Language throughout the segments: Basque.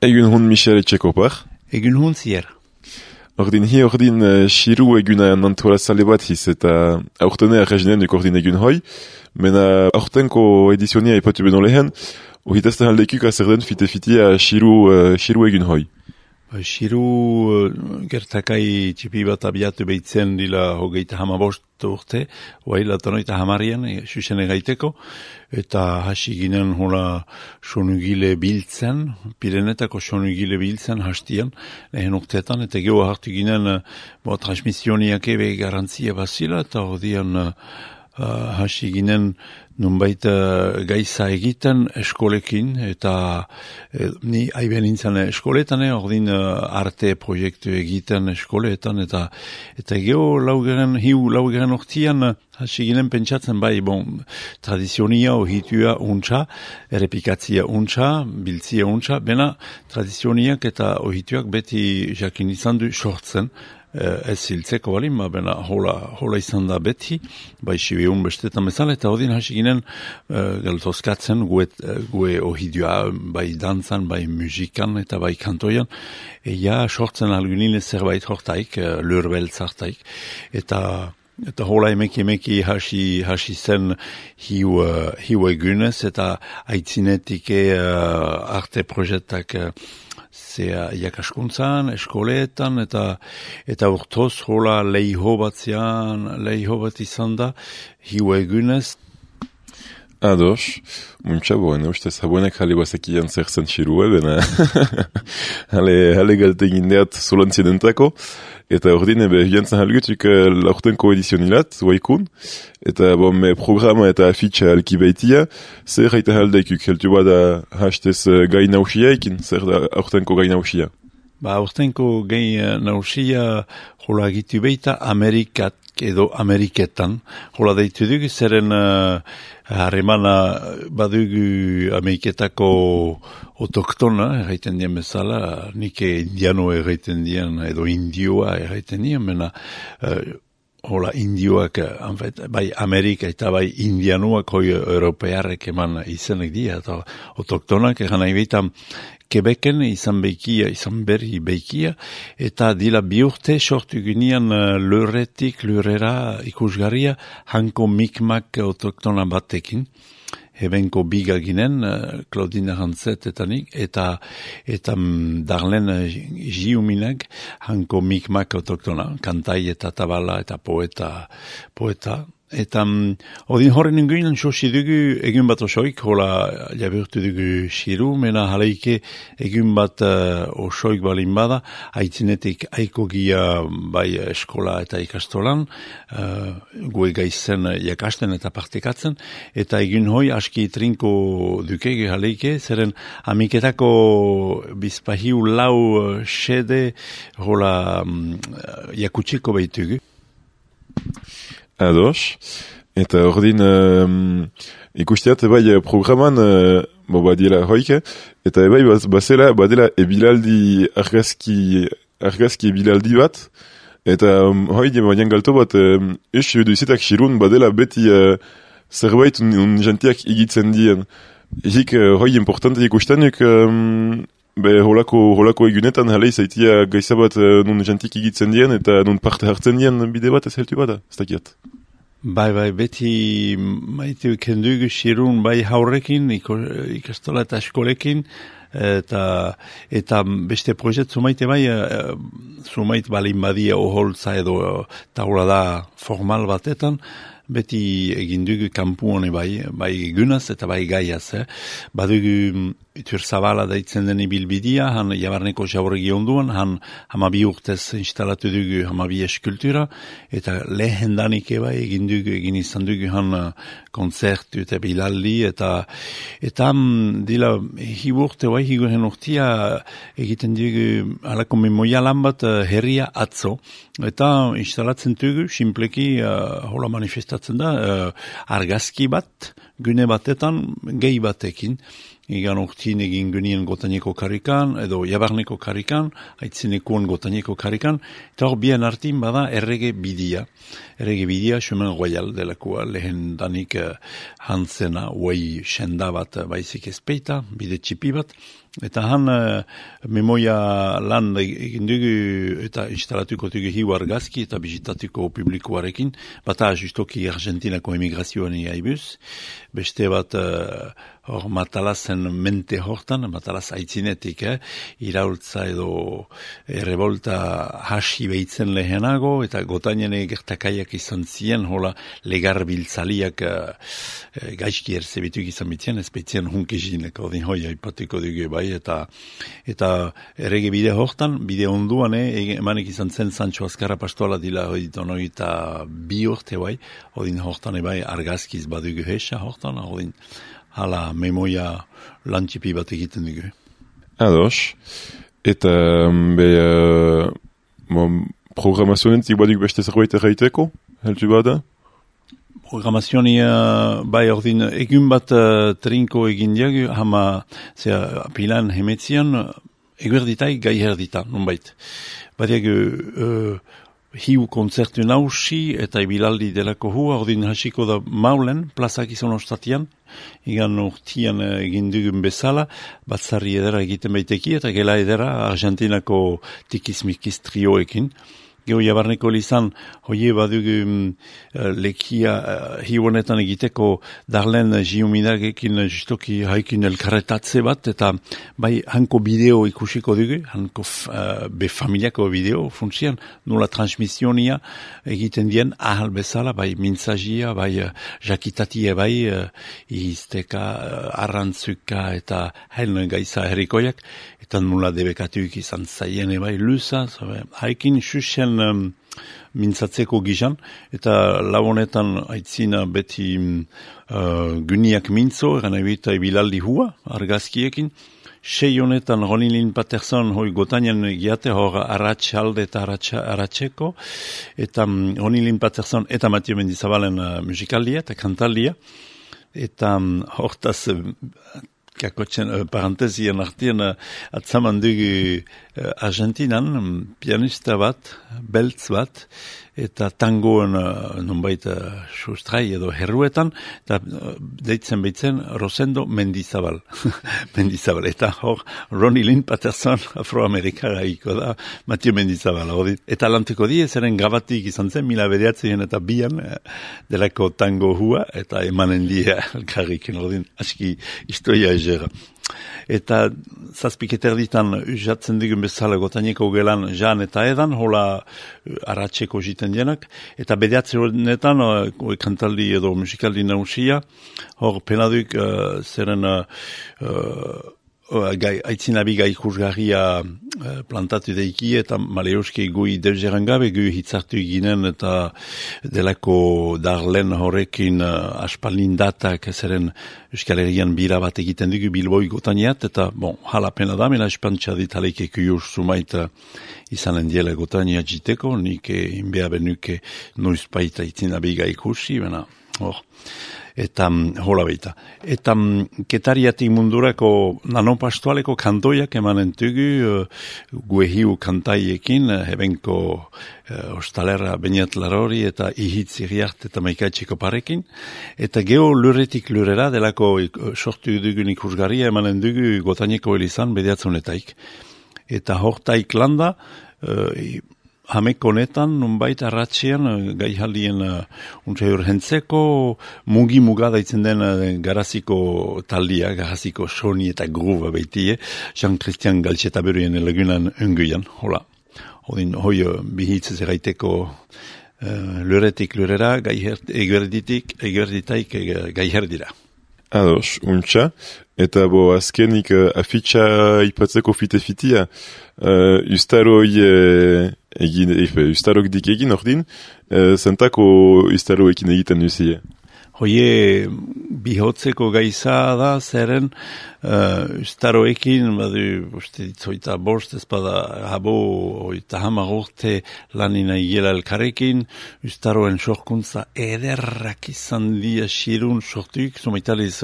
Egun hon Michel Etxekopar. Egun hon zier. Ordin Shiru eguna nantola sale bat hiz eta aurtene arrezinen duk ordin egun hoi. Mena aurtenko edizionia ipatu benon lehen, ohitazten aldekuk azerden fite-fitia Shiru egun hoi. Shiru gertakai txipi bat abiatu behitzen dila hogeita hamabost urte, oaila tonoita hamarian, susene gaiteko, eta hasi ginen hola sonugile biltzen, Pirenetako sonugile biltzen hastian, lehen urteetan, eta geho hartu ginen transmisioniak ebe garantzia bazila, eta hodian hasi ginen nunbait gaiza egiten eskolekin, eta ni aiben nintzen eskoletan, ordin arte proiektu egiten eskoletan, eta geho laugeren ortian hasi ginen pentsatzen bai, tradizionia ohitua untxa, errepikatzia untxa, biltzia untxa, bena tradizioniak eta ohituak beti jakin izan du sortzen, ez hiltzeko balin, bena hola izan da beti, bai sibiun bestetan bezala, eta odin hasi ginen galtozkatzen gue ohidua, bai dantzan, bai musikan, eta bai kantoian, sortzen algunile zerbait hortaik, lurbeltz hartaik, eta hola emeki hasi zen hiu egunez, eta aitzinetik arte proiektak zea jakaskuntzan, eskoleetan, eta urtoz hola leiho bat izan da, hiu egunez. Ados, muntxaboen, ustez habuenak jale bazekian zerzen Shirue, bena jale galte gindeat zolantzien entako, eta ordin ebe hiantzan halgutuk laurtenko edizionilat, waikun, eta programa eta afitxa alki baitia, zer haita haldaikuk, heltu bada hastez gai nausiaikin, zer da aurtenko gai nausia? Aurtenko gai nausia hola gitu baita Ameriketan, hola deitu dugu, zeren harremana badugu Ameriketako otoktona, erraiten dien bezala, nike indiano erraiten dien, edo indioa erraiten dien, mena hola indioak, bai Amerika eta bai indianuak hoi europearek eman izenek dia, eta otoktonak eran nahi baitan Quebecen izan berri beikia, eta dila bi urte sortu ginean lurrera ikusgarria hanko mikmak autoktona batekin. Hebenko biga ginen, Claudine Hantzet eta nik, eta Darlene Giuminak hanko mikmak autoktona, kantai eta tabala eta poeta. Eta odin horren inguinan sosi dugu egun bat osoik, hola jabertu dugu Shiru, mena haleike egun bat osoik balin bada, aitzinetik aiko gia bai eskola eta ikastolan, gue gaizen jakasten eta partekatzen, eta egun hoi aski trinko dukege haleike, zeren amiketako bizpahiu lau xede hola jakutsiko behitugu. Ados, eta ordin ikusteat bai programan badila hoike, eta bai badela ebilaldi argazki ebilaldi bat, eta hoi dian galto bat eus duizetak Shirun badela beti zerbait jantiak igitzen dien. Hik hoi importante ikustenuk holako egunetan jalei zaitia gaiza bat nun jantik igitzen dien eta nun parte hartzen dien bide bat ez heltu bada, ez dakiat. Bai, beti maitu kendugu Shirun bai haurrekin, ikastola eta eskolekin, eta beste proiekt zumaite bai, zumait balin badia oholtza edo taula da formal batetan, beti egindugu kampu hone bai egunaz eta bai gaiaz. Badugu Itur Zabala daitzen den ibilbidia, han jabarneko jauregi onduan, han hamabi urtez instalatu dugu hamabi eskultura, eta lehen danik egin izan dugu han konzertu eta bilaldi, eta dila hiburte higoren urtia egiten dugu alako memoia lan bat herria atzo, eta instalatzen dugu, simpleki hola manifestatzen da, argazki bat, gune batetan, gehi batekin, Igan urtin egin genien gotaneko karikan, edo jabarneko karikan, aitzinekuan gotaneko karikan, eta hor bien artin bada errege bidia. Errege bidia, Chemin Royal delakoa, lehen danik hantzena, uai senda bat baizik ezpeita, bide txipi bat, Eta han memoia lan egin dugu eta instalatuko dugu hiu argazki eta bizitatuko publikoarekin, bata justoki Argentinako emigrazioan iaibuz, beste bat hor Matalazen mente hortan, Matalaz aitzinetik, iraultza edo revolta hasi behitzen lehenago, eta gotainen gertakaiak izan ziren, hola legar biltzaliak gaizki erzebituk izan bitzen, ez behitzen hunkizinek, ordin hoia ipatuko dugu bai, eta errege bide hortan, bide onduan, emanek izan zen Sancho Azkarra pastoala dila eta 2 urte bai, ordin hortan bai argazkiz badugu hesa hortan, ordin hala memoia lantxipi bat egiten dugu. Ados, eta programazionetik baduk beste zerbait erraiteko, heltu bada? Programazionia bai ordin egun bat trinko egin diagu, hama pilan hemetzian, eguerditai gai herdita, nonbait. Badiagu hiu konzertu nausi eta ibilaldi delako hua, ordin hasiko da maulen, plazak izan ostatian, igan urtian egin dugun bezala, batzarri edera egiten baiteki, eta gela edera Argentinako tikizmikiz trioekin. Geo jabarneko lizan, hoie badugu lekia hiunetan egiteko darlen jiuminagekin justoki haikin elkarretatze bat, eta bai hanko bideo ikusiko dugu, hanko familiako bideo funtzian, nula transmisionia egiten dien ahal bezala, bai mintzazia, bai jakitatie, bai izteka, arrantzuka eta hain gaiza herrikoiak, eta nula debekatuik izan zaien bai luza, haikin xuxen mintzatzeko gizan, eta labonetan aitzina beti guniak mintzo, eran ebita ebilaldi hua, argazkiekin, 6 honetan Ronilin Patterson hoi gotainen giate hor arratxalde eta arratxeko, eta Ronilin Patterson eta Mathieu Mendizabalen musikaldia eta kantaldia, eta hortaz kakotzen parantezien artien atzaman dugu Argentinan pianista bat, beltz bat, eta tangoen nonbait sustrai edo herruetan, eta deitzen behitzen Rosendo Mendizabal. Mendizabal, eta hor Ronnie Lynn Patterson afroamerikara iko da, Mathieu Mendizabal. Eta lanteko die, zeren grabatik izan zen, 1992 eta 2 delako tango hua, eta emanen die elkarrikin, aski historia egera. Eta zazpiketer ditan jatzen digun bezala gotaineko gelan jan eta edan, hola arratxeko jiten dienak, eta bedeatze honetan kantaldi edo musikaldi nausia, hor penaduk zeren aitzinabi gai ikusgarria plantatu deiki eta maleoski gui deuzeran gabe gu hitzartu ginen eta delako darlen horrekin aspaldin datak zeren Euskal Herrian bira bat egiten dugu Bilboi gotaniat eta hala pena da, mela espantxa ditaleik ekujur sumait izanen diela gotania jiteko, nik inbea benuke noizpaita aitzinabi gai ikusi, eta hola baita. Eta ketariatik mundurako nanopastualeko kantoiak emanen dugu guehiu kantaiekin, hebenko ostalera Beñat Larori eta ihitz iriart eta maikaitxeko parekin. Eta geho lurretik lurrera delako sortu dugun ikusgarria emanen dugu gotaineko elizan bediatzunetaik. Eta hortaik landa, hamek honetan, nunbait arratxean, gai jaldien untxe urgentzeko, mugi-muga daitzen den garaziko taldia, garaziko soni eta gruba baitie, Jean-Christian Galtxetaberuen lagunan unguian, hola. Odin, hoi bihitzez eraiteko luretik lurera, eguerditaik gai herdira. Ados, untxa, eta azkenik afitxa ipatzeko fite-fitia, ustarok dik egin ordin, zentako ustaroekin egiten duzie. Hoie bihotzeko gaiza da, zeren ustaroekin, uste ditzoita bost, ezpada habo, oita hamar urte lanina igela elkarrekin, ustaroen sorkuntza ederrak izan dia xirun sortuik, zumaitaliz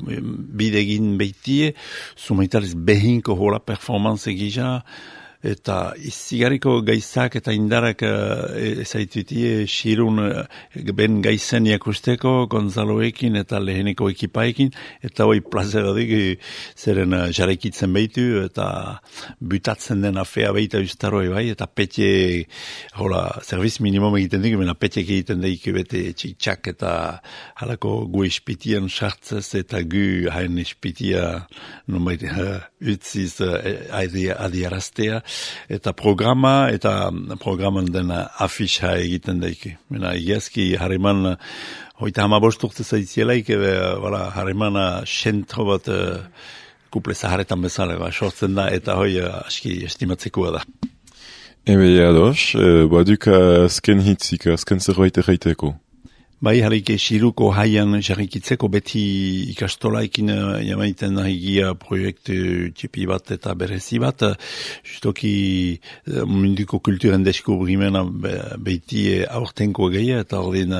bidegin beitie, zumaitaliz behinko hola performance egisa, eta izigarriko gaizak eta indarak ezaitutie xirun ben gaizen jakusteko Gonzaloekin eta leheneko ekipaekin, eta hoi plazeradik zeren jarraikitzen behitu eta butatzen den afea behita ustaroi bai, eta petje, serviz minimum egiten dik, mena petjek egiten daik bete txik-txak eta halako gu ispitian sartzez eta gu hain ispitia nonbait utziz adiaraztea, eta programan den afisha egiten daik. Mena egiazki harreman hoita 15 urte zaitzielaik, harremana sentro bat kuple zaharetan bezala sortzen da, eta hoi aski estimatzekoa da. Ebe ados, baduk azken hitzik, azken zerbait erraiteko. Bai, harik Xiruko haian jarrikitzeko beti ikastolaikin jamaiten nahigia proiektu txipi bat eta berezi bat, justoki munduko kulturen deskubrimena beti aurtenko geia, eta ordin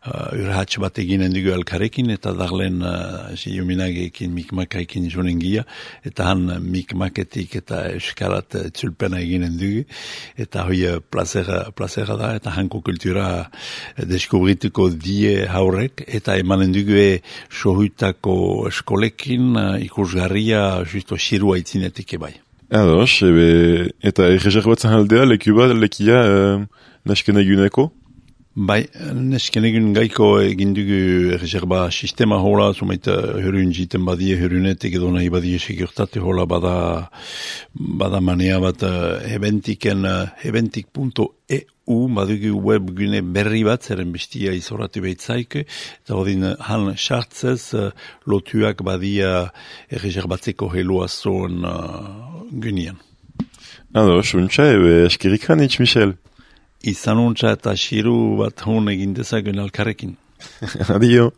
urhatx bat eginen dugu elkarekin, eta darlen juminagekin mikmakaekin jonen gia, eta han mikmaketik eta eskalat txulpena eginen dugu, eta hoi plazera da, eta hanko kultura deskubrituko die haurek, eta emanen dugu sohutako eskolekin ikusgarria justo xirua itzinetik ebai. Ados, eta erreserbatzen aldea lekia nasken eguneko? Bai, nesken egun gaiko egin dugu reserva sistema hola, zumait hörun jiten badie, hörunetik edo nahi badie segurtate hola bada manea bat eventik.eu badugu webgune berri bat, zeren bestia izoratu behitzaik, eta hodin han sartzez lotuak badia reserbatzeko helua zoen gunean. Ados, untxa, eskerik hanitz, Michel. Izan untxa eta xiru bat hon egin dezagun alkarrekin. Adio.